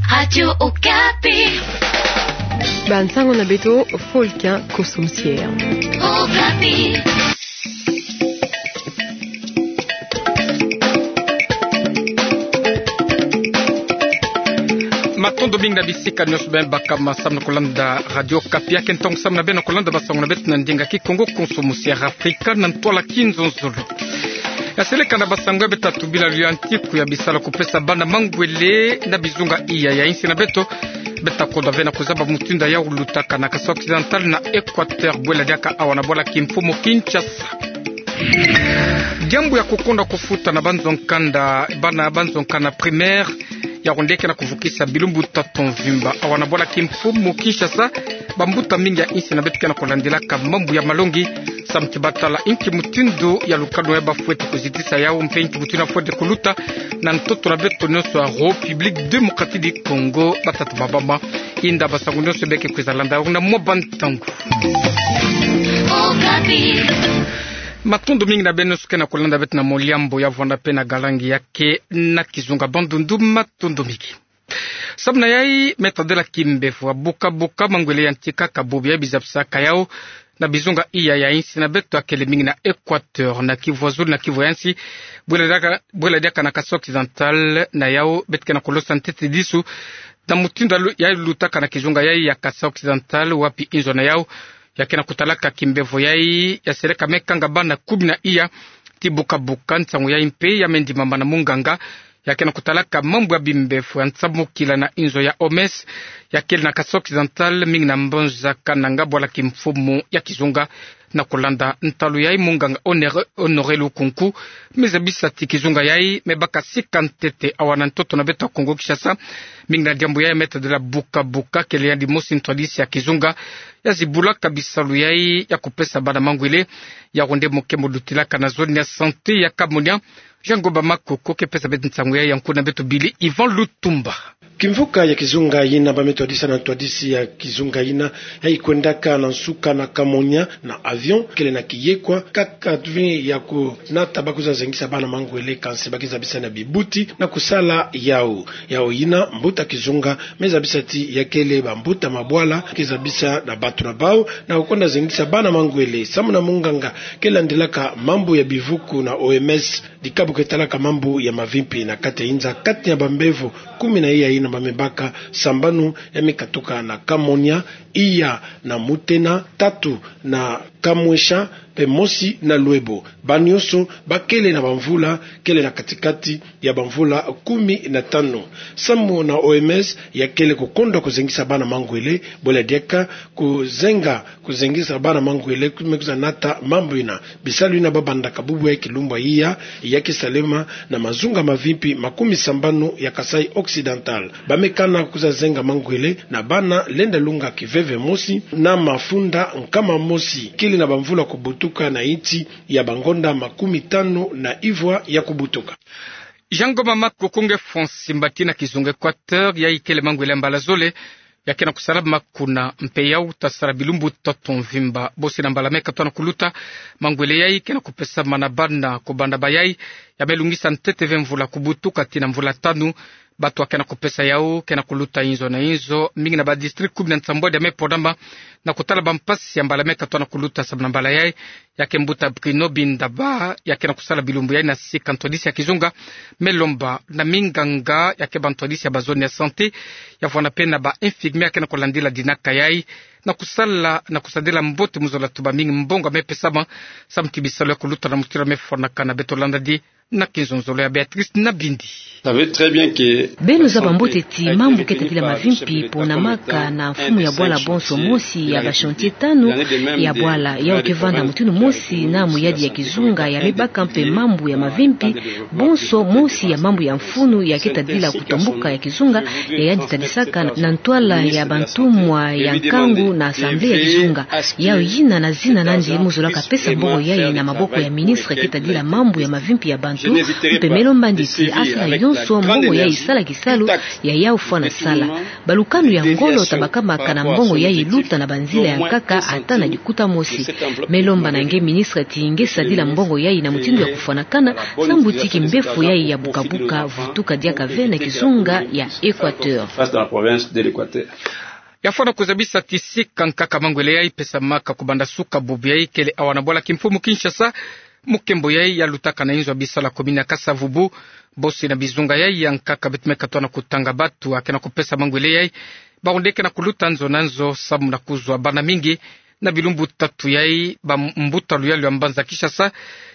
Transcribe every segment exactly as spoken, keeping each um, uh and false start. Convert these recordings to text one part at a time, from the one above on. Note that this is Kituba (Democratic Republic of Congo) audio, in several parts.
Radio Okapi. Bansango na beto, Folkin Kosomusier. Okapi. Matondo mingi na bisika nyonso beno baka masamu na kolanda Radio Okapi. Yake ntangu samu na beno kolanda bansango na beto na ndinga Kikongo, Konsomusier Afrika na ntwala kinzonzolo. Ya seleka na bansango ya beto tubila luyantiku ya bisalu ya kupesa bana mangwele na bizunga iya ya insi na beto. Beto koda ve na kuzaba mutindu ya lutaka na Kasaï Occidental na Equateur, bwela diaka awa na bwala kimfumu Kinshasa. Diambu ya kukonda kufuta na banzo nkanda, bana banzo nkanda primaire, ya kondeke na kuvukisa bilumbu tatu mvimba awa na bwala kimfumu Kinshasa. Bambuta mingi ya insi na beto ke na kolandilaka mambu ya malongi, samu ti batala inki mutindu ya lukanu ya bafweti kuzitisa yau mpe inki mutindu ya fweti kuluta na ntoto na beto nyonso ya République Démocratique du Congo. Batata, bamama, inda bansango nyonso beke kwiza landa yau na mwa bantangu. Matondo mingi na beno nyonso ke na kolanda beto na moliambo ya vwanda mpe na galangi yake na kizunga. Bandundu, matondo mingi. Samu na yai, me tadila kimbevo ya buka-buka, mangwele yantika ka bobo ya bizabisaka yau na bizunga iya ya insi na beto, ya kele mingi na Equateur, na Kivu ya zulu, na Kivu ya nsi, bwela diaka, bwela diaka na Kasaï Occidental. Na yau beto ke na kolosa ntete disu na mutindu ya lu-, ya lutaka na kizunga yai ya Kasaï Occidental, wapi inzo na yau ya ke na kutalaka kimbevo yai ya seleka me kanga bana kumi na iya ti buka-buka. Nsangu yai mpe ya me ndimama na munganga ya ke na kutalaka mambu ya bimbevo ya nsamukila na inzo ya O M S, ya kele na Kasaï Occidental, mingi na mbanza Kananga, bwala kimfumu ya kizunga. Na kolanda ntalu yai, munganga Honore-, Honoré Lukunku me zabisa ti kizunga yai me baka sika ntete awa na ntoto na beto ya Kongo Kinshasa, mingi na diambu yai me tadila buka-buka. Kele yandi mosi ntwadisi ya kizunga ya zibulaka bisalu yai ya kupesa bana mangwele, ya wonde mo ke mo lutilaka na zone ya santé ya Kamonia. Jean Ngomba Makoko ke pesa beto nsangu yai, ya nkuna beto Billy Ivan Lutumba. Kimvuka ya kizunga yina, ba me twadisa na ntwadisi ya kizunga yina, ya ikwendaka na nsuka na Kamonia na avion, kele na kiyekwa, kaka vi ya kunata ba kwiza zengisa bana mangwele, kansi ba ke zabisa na bibuti na kusala yau. Yau yina, mbuta kizunga me zabisa ti ya kele bambuta mabwala ke zabisa na bato na bau na kukonda zengisa bana mangwele. Samu na munganga ke landilaka mambu ya bivuku na O M S, dikabu ke talaka mambu ya mavimpi na kati ya inza, kati ya bambevo kumi na iya yina ba me baka, sambanu ya me katuka na Kamonia, iya na Mutena, tatu na Kamwesha, mpe mosi na Lwebo. Ba nyonso ba kele na bamvula, kele na kati-kati ya bamvula kumi na tanu. Samu na O M S, ya kele kukonda kuzengisa bana mangwele, bwela diaka kuzenga, kuzengisa bana mangwele, ku-, me kwiza nata mambu yina. Bisalu yina ba bandaka bubu ya kilumbu ya iya, ya ke salema na mazunga mavimpi makumi sambanu ya Kasaï Occidental. Ba me kana kwiza zenga mangwele na bana lenda lunga kiveve mosi na mafunda nkama mosi, kele na bamvula kubutuka na insi ya bangonda makumi tanu na ivwa ya kubutuka. Jean Ngomba Makoko, nge Francis Mbati na kizunga Equateur, yai kele mangwele ya mbala zole ya ke na kusalama kuna, mpe yau ta sala bilumbu tatu mvimba. Bosi na mbala me katoa na kuluta, mangwele yai ke na kupesamana na bana, kubanda bayai ya me lungisa ntete ve mvula kubutuka tii na mvula tanu. Bato ya ke na kupesa yau ke na kuluta inzo na inzo, mingi na badistrict kumi na nsambwadi ya me ponama na kutala bampasi ya mbala me katoa na kuluta. Samu na mbala yai, ya ke mbuta Bruno Bindaba, ya ke na kusala bilumbu yai na sika ntwadisi ya kizunga, me lomba na minganga ya ke bantwadisi ya bazone ya santé, ya vwanda mpe na ba infirmier ya ke na kulandila dinaka yai, na kusala, na kusadila mbote muzola tuba mingi mbongo ya me pesama, samu ti bisalu ya kuluta na mutindu ya me fwanakana. Beto landa di na kinzonzolo ya Béatrice Nabindi. Beno zaba mbote ti mambu ke tadila mavimpi ponamaka na mfumu ya bwala bonso. Mosi ya ba chantier tanu ya bwala yau ke vanda mutindu mosi na muyadi ya kizunga, ya me baka mpe mambu ya mavimpi bonso. Mosi ya mambu ya mfunu ya ke tadila kutombuka ya kizunga, ya yandi tadisaka na ntwala ya bantumwa ya nkangu na Assemblée ya kizunga. Yayi yina na zina nandi mu zola kapesa mbongo yayi na maboko ya ministre ke tadila mambu ya mavimpi ya bantu, mpe me lomba andi ti asala yonso mbongo yayi sala kisalu ya yayi fwana sala. Balukanu ya ngolo tabakama kana mbongo yayi luta na banzila ya nkaka ata na dikuta mosi. Me lomba na nge ministre ti nge sadila mbongo yayi na mutindu ya kufwanakana, sambu ti kimbefu yayi ya bukabuka vutuka diaka ve na kizunga ya Équateur. Ya fwana kuzabisa ti sika nkaka mangwele yayi pesamaka kubanda suka bubu yayi kele awa na bwala kimfumu Kinshasa, mu nkembo yayi ya lutaka na inzo ya bisalu ya commune ya Kasa-Vubu, bosi na bizunga yayi ya nkaka beto me katona kutanga batu ya ke na kupesa mangwele yayi, bawu nde ke na kuluta nzo na nzo samu na kuzwa bana mingi. Na bilumbu tatu yayi, bambuta luyalu ya mbanza Kinshasa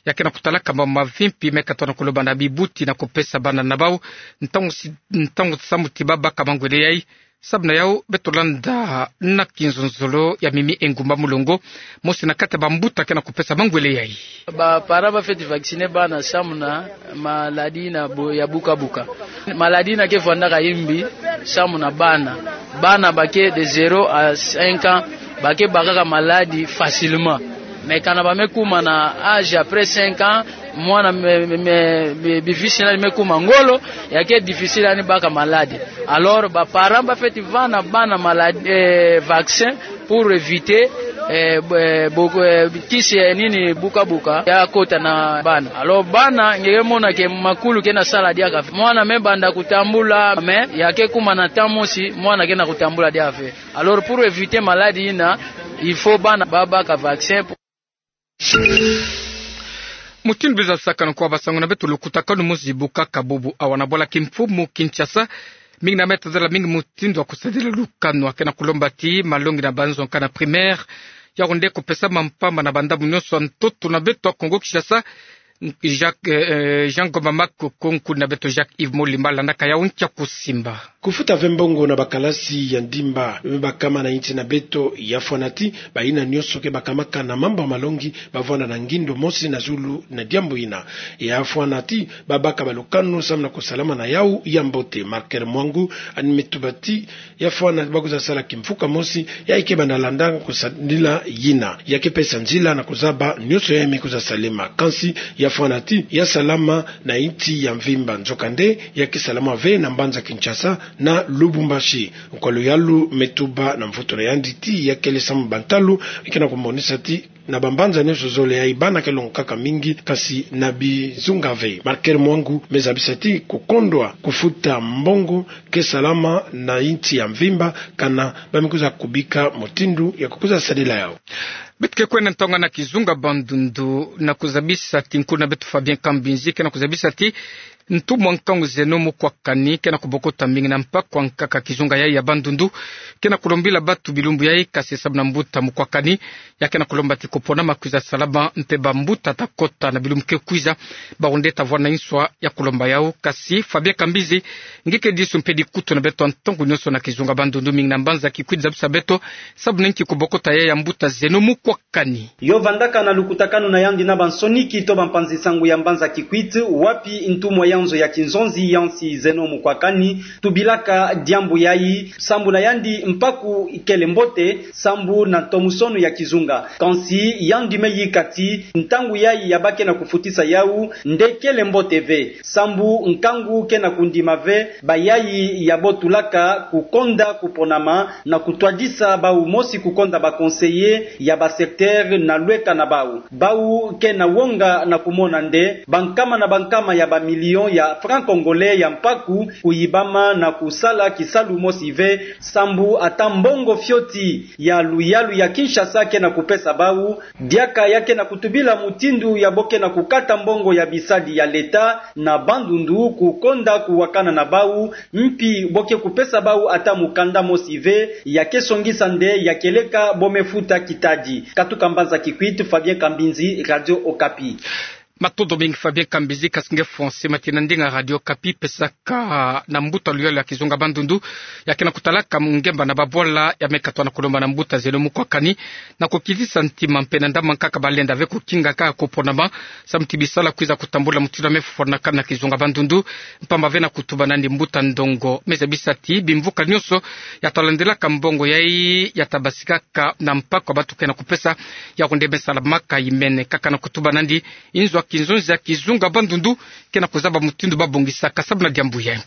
ya ke na kutalaka mambu mavimpi me katona kuloba na bibuti na kupesa bana na bawu ntangu si-, ntangu samu ti babaka mangwele yayi. Samu na yawu beto landa na kinzonzolo ya Mimi Engumba Mulongo, mosi na kati ya bambuta ke na kupesa mangwele yayi. Ba parents ba fweti vacciner bana samu na maladie na bo-, ya bukabuka. Maladie yina ke vwandaka yimbi samu na bana. Bana ba ke de zéro à cinq ans, ba ke bakaka maladie facilement. Mais kana ba me kuma na âge après cinq ans, mwana me, me, me, me, bivisi na ni me kuma ngolo, ya ke difficile ya ni baka maladie. Alors, ba parents ba fweti vana bana maladie, eh, vaccin pour éviter, eh, bo-, eh, bo-, eh, kisi, eh, nini, bukabuka ya kota na bana. Alors, bana nge ke mona ke makulu ke na sala diaka ve. Mwana me banda kutambula, mais ya ke kuma na temps mosi, mwana ke na kutambula diaka ve. Alors, pour éviter maladie yina, il faut bana ba baka vaccin. Mutindu biza sakana kwa basangu na beto, lukutakanu muzi bukaka bubu awa na bwala kimfumu Kinshasa. Mingi na me tazala mingi mutindu ya kusadila lukanu ya ke na kulomba ti malongi na banzo nkaka na primaire, yawu nde kupesama mpamba na bandambu nyonso ya ntoto na beto ya Kongo Kinshasa. Jacques, eh, eh, Jean Ngoma Makoko, nkuni na beto Jacques Yves Molimba landaka yawu nkia kusimba. Kufuta ve mbongo na bakalasi ya ndimba me bakama na insi na beto, ya fwana ti bayina nyonso ke bakamaka na mambu ya malongi bavwanda na ngindo mosi na zulu na diambu yina. Ya fwana ti babaka balukanu samu na kusalama na yawu ya mbote. Marker Mwangu, ani me tuba ti ya fwana bakwiza sala kimfuka mosi, ya ke banda landa kusadila yina, ya ke pesa nzila na kuzaba nyonso ya me kwiza salema. Kansi ya fwana ti ya salama na insi ya mvimba, nzokande ya ke salama ve na mbanza Kinshasa na Lubumbashi. Nkwa luyalu me tuba na mvutu na yandi ti ya kele samu bantalu ke na kumonisa ti na bambanza nyonso zole yayi bana ke longokaka mingi, kansi na bizunga ve. Marker Mwangu me zabisa ti kukondwa kufuta mbongo ke salama na insi ya mvimba kana ba me kwiza kubika mutindu ya kukwiza sadila yawu. Beto ke kwenda ntonga na kizunga Bandundu na kuzabisa ti nkuni na beto Fabien Kambinzi ke na kuzabisa ti ntu mwa nkangu zeno mukwakani ke na kubokota mbingi na mpaku ya nkaka kizunga yayi ya Bandundu, ke na kulombila batu bilumbu yayi, kansi samu na mbuta mukwakani, ya ke na kulomba ti kuponama kwiza salama mpe bambuta ta kota na bilumbu ke kwiza, bawu nde ta vwanda nswa ya kulomba yawu. Kansi Fabien Kambinzi, nge ke disu mpe dikutu na beto ntongo nyonso na kizunga Bandundu, mingi na mbanza Kikwit, zabisa beto samu na nki kubokota yayi ya mbuta zeno mukwakani. Yo vandaka na lukutakanu na yandi na bansoniki to bampanzi-nsangu ya mbanza Kikwit, wapi ntumwa ya nzo ya kinzonzi ya nsi zeno mukwakani tubilaka diambu yayi, sambu na yandi mpaku ikele mbote, sambu na ntomosono ya kizunga. Kansi yandi me yika ti ntangu yayi ya ba ke na kufutisa yawu nde kele mbote ve, sambu nkangu ke na kundima ve bayayi ya botulaka kukonda kuponama na kutwadisa bawu mosi kukonda ba conseillers ya ba secteurs na lweka na bawu. Bawu ke na wonga na kumona nde bankama na bankama ya ba millions ya francs congolais ya mpaku kuyibama na kusala kisalu mosi ve, sambu ata mbongo fioti ya luyalu ya Kinshasa ke na kupesa bawu, diaka ya ke na kutubila mutindu ya bo ke na kukata mbongo ya bisadi ya l'État na Bandundu kukonda kuwakana na bawu, mpi bo ke kupesa bawu ata mukanda mosi ve, ya ke songisa nde ya ke leka bo me futa kitadi. Katuka mbanza Kikwit, Fabien Kambinzi, Radio Okapi. Matondo mingi Fabien Kambizi, kasi nge François Mati na ndinga Radio Okapi. Pesaka na mbuta luyalo ya kizunga bandundu, ya ke na kutalaka ngemba na babwala ya me katoa na kulomba na mbuta zeno mukwakani, na kukitisa ntima mpe na ndambu nkaka balenda ve kukinga kaka kuponama, samu ti bisalu kwiza kutambula mutindu ya me fwanakana na kizunga bandundu, mpamba ve na kutuba nandi mbuta ndongo. Me zabisa ti bimvuka nyonso ya talandilaka mbongo yayi ya tabasikaka na mpako ya bantu ke na kupesa, ya kunde me salamaka imene kaka na kutuba nandi inzo ya kinzonzi ya kizunga bandundu ke na kuzaba mutindu babongisaka samu na diambu yayi.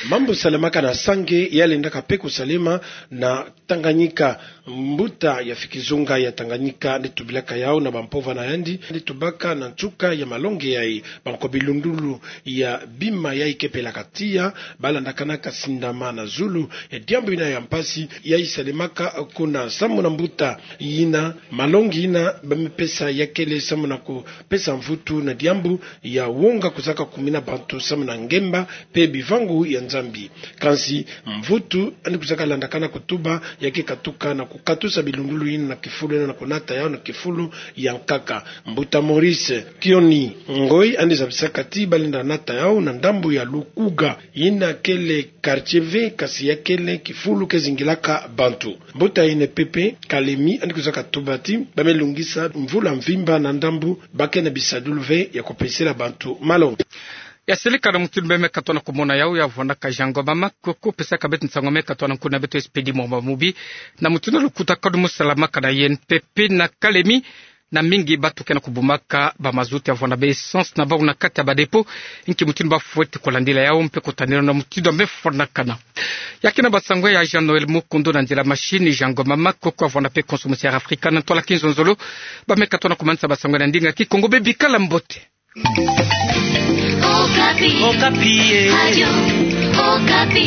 Mambu salemaka na Sange, ya lendaka mpe kusalema na Tanganyika. Mbuta ya fikizunga ya Tanganyika nde tubilaka yau na bampova na yandi, nde tubaka na nsuka ya malongi yayi, banko bilundulu ya bima yayi ke pelaka tiya, balandakanaka sindama na zulu ya diambu yina ya mpasi yayi salemaka kuna samu na mbuta yina, malongi yina ba me pesa ya kele samu na kupesa mvutu na diambu ya wonga kuzaka kumina bantu samu na ngemba mpe bivangu ya Nzambi. Kansi mvutu yandi kuzaka landakana kutuba ya ke katuka na kukatusa bilundulu yina na kifulu yina na kunata yau na kifulu ya nkaka. Mbuta Maurice Kioni Ngoi yandi zabisaka ti balenda nata yau na ndambu ya Lukuga, yina kele quartier ve, kasi ya kele kifulu ke zingilaka bantu. Mbuta Ene Pepe Kalemi yandi kuzaka tuba ti ba me lungisa mvula mvimba na ndambu ba ke na bisadulu ve ya kupesela bantu malongi. Ya seleka na mutindu me me katoa na kumona yau, ya vwandaka Jean Ngoma Makoko, pesaka beto nsangu me katoa na nkuna beto Expédit Mwamba Mubi, na mutindu ya lukutakanu mo salamaka na I N P P na Kalemi, na mingi bantu ke na kubumaka ba mazout ya vwanda ba essence na bau na kati ya ba dépôt. Inki mutindu bafweti kulandila yau mpe kutanila na mutindu ya me fwanakana? Ya ke na basangu ya Jean Noël Mukundu na nzila machine, Jean Ngoma Makoko ya vwanda mpe Konso Musiara Afrika na ntwala kinzonzolo. Ba me katoa na kumanisa basangu na ndinga Kikongo, bebikala mbote. Okapi. Okapi, eh. Radio Okapi.